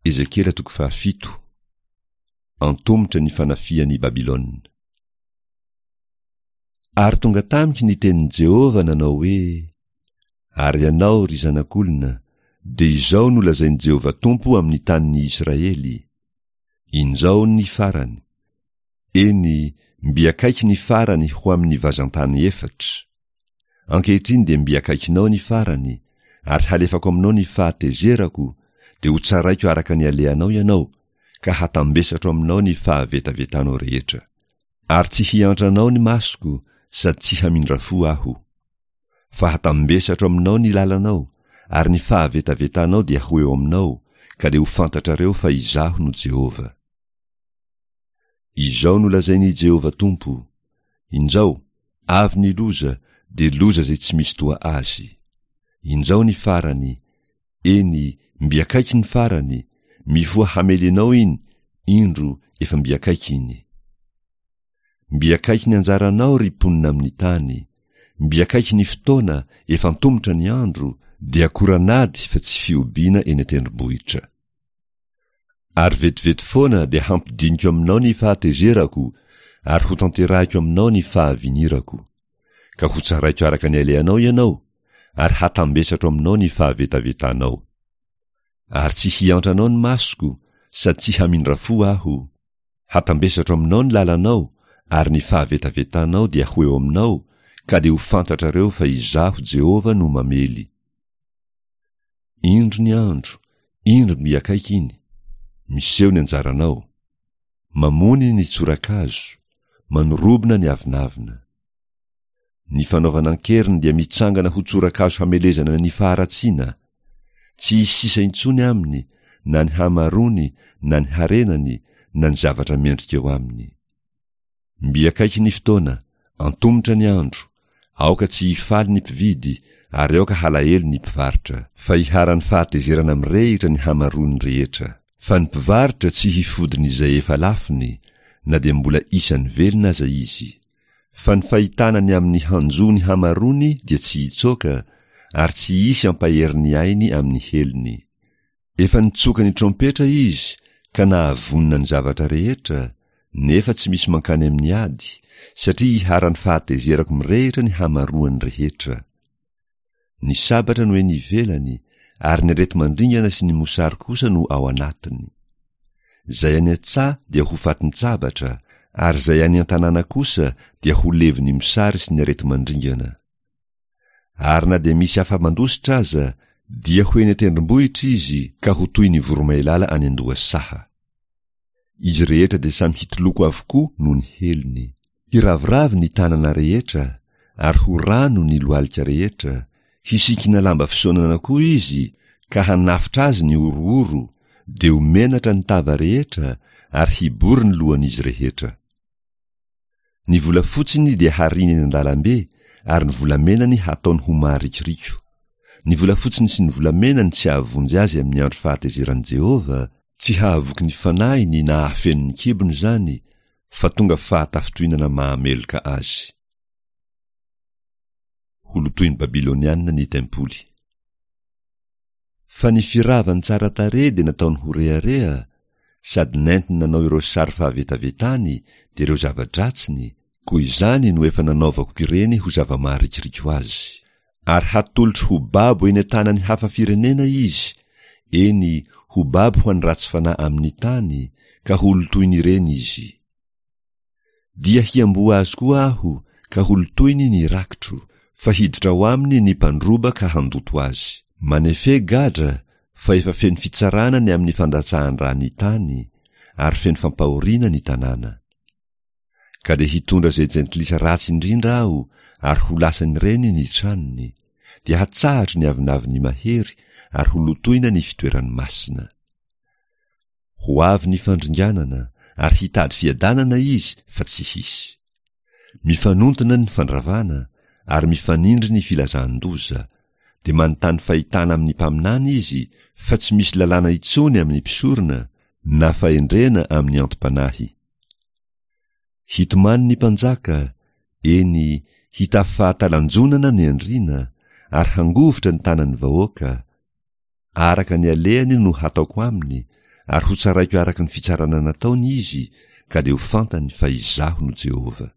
Ezekiela toko fahafito. Antomotra ny fanafihan'i Babylona. Ary tonga tamiko ny tenin'i Jehovah nanao hoe, Ary ianao, ry zanak'olona, dia izao no lazain'i Jehovah Tompo amin'ny tanin'ny Israely, Injao ny farany, eny, mby akaiky ny farany ho amin'ny vazan-tany efatra. Ankehitriny dia mby akaikinao ny farany, ary halefako aminao ny fahatezerako, dia hotsaraiko araka ny alehanao ianao, ka hatambesatro aminao ny fahavetavetanao rehetra. Ary tsy hiantra anao ny masoko, sady tsy hamindra fo Aho. Fa hatambesatro aminao ny lalanao, ary ny fahavetavetanao dia ho eo aminao, ka dia ho fantatrareo fa Izaho no Jehovah. Izao no lazain'i Jehovah Tompo, Injao, avy ny loza, dia loza izay tsy misy toa azy. Injao ny farany, eny, mby akaiky ny farany, mifoha hamely anao iny, indro, efa mby akaiky iny. Mby akaiky ny anjaranao, ry mponina amin'ny tany, mby akaiky ny fotoana, efa antomotra ny andro, dia akoran'ady fa tsy fihobiana eny an-tendrombohitra. Ary vetivety foana dia hampidiniko aminao ny fahatezerako ary hotanterahiko aminao ny fahavinirako. Ka hotsaraiko araka ny alehanao ianao, ary hatambesatro aminao ny fahavetavetanao. Ary tsy hiantra anao ny masoko, sady tsy hamindra fo Aho. Hatambesatro aminao ny lalanao, ary ny fahavetavetanao dia ho eo aminao, ka dia ho fantatrareo fa Izaho Jehovah no mamely. Indro ny andro, indro mby akaiky iny, miseho ny anjaranao. Mamony ny tsorakazo, manorobona ny avonavona. Ny fanaovana an-keriny dia mitsangana ho tsorakazo hamelezana ny faharatsiana. Tsy hisy sisa intsony aminy, na ny hamaroany, na ny harenany, na ny zavatra mendrika eo aminy. Mby akaiky ny fotoana, antomotra ny andro, aoka tsy hifaly ny mpividy ary aoka halahelo ny mpivarotra. Fa iharan'ny fahatezerana mirehitra ny hamaroany rehetra. Fa ny mpivarotra tsy hifodin'izay efa lafony, na dia mbola isan'ny velona aza izy. Fa ny fahitana ny amin'ny hanjo ny hamaroany dia tsy hitsoaka, ary tsy hisy hampahery ny ainy amin'ny helony. Efa nitsoka ny trompetra izy ka nahavonona ny zavatra rehetra, nefa tsy misy mankany amin'ny ady, satria iharan'ny fahatezerako mirehitra ny hamaroany rehetra. Ny sabatra no eny ivelany, ary ny areti-mandringana sy ny mosary kosa no ao anatiny. Izay any an-tsaha dia ho fatin-tsabatra, ary izay any an-tanàna kosa dia ho levon'ny mosary sy ny areti-mandringana. Ary na dia misy afa-mandositra aza, dia ho eny an-tendrombohitra izy ka ho toy ny voromailala any an-dohasaha. Izy rehetra dia samy hitoloko avokoa noho ny helony. Hiraviravy ny tanana rehetra, ary ho rano ny lohalika rehetra, hisikina lamba fisaonana koa izy, ka hanafotra azy ny horohoro, dia ho menatra ny tava rehetra, ary hibory ny lohan'izy rehetra. Ny volafotsiny dia hariany eny an-dalambe ary ny volamenany hataony ho maharikoriko. Ny volafotsiny sy ny volamenany tsy hahavonjy azy amin'ny andro fahatezeran'i Jehovah, tsy hahavoky ny fanahiny na hahafeno ny kibony izany, fa tonga fahatafintohinana mahameloka azy. Holotoin'ny Babylonianina ny tempoly. Fa ny firavany tsara tarehy dia nataony ho rehareha, sady nentiny nanao ireo sary fahavetavetany dia ireo zava-dratsiny, koa izany no efa nanaovako ireny ho zava-maharikoriko azy. Ary hatolotro ho babo eny an-tanan'ny hafa firenena izy, eny, ho babo ho an'ny ratsy fanahy amin'ny tany, ka holotoin'ireny izy. Dia hiamboho azy koa aho, ka holotoiny ny rakitro, fa hiditra ao aminy ny mpandroba ka handoto azy. Manefe gadra, fa efa feno fitsarana ny amin'ny fandatsahan-dra ny tany, ary feno fampahoriana ny tanàna. Ka dia hitondra izay jentilisa ratsy indrindra aho, ary ho lasan'ireny ny tranony, dia hatsahatro ny avonavon'ny mahery, ary holotoina ny fitoerany masina. Ho avy ny fandringanana, ary hitady fiadanana izy fa tsy hisy. Mifanontona ny fandravana, ary mifanindry ny filazan-doza. Dia manontany fahitana amin'ny mpaminany izy, fa tsy misy lalàna intsony amin'ny mpisorona, na fahendrena amin'ny antom-panahy. Hitomany ny mpanjaka, eny, hitafy fahatalanjonana ny andriana, ary hangovitra ny tanan'ny vahoaka, Araka ny alehany no hataoko aminy, Ary hotsaraiko araka ny fitsarana nataony izy, ka dia ho fantany fa Izaho no Jehovah.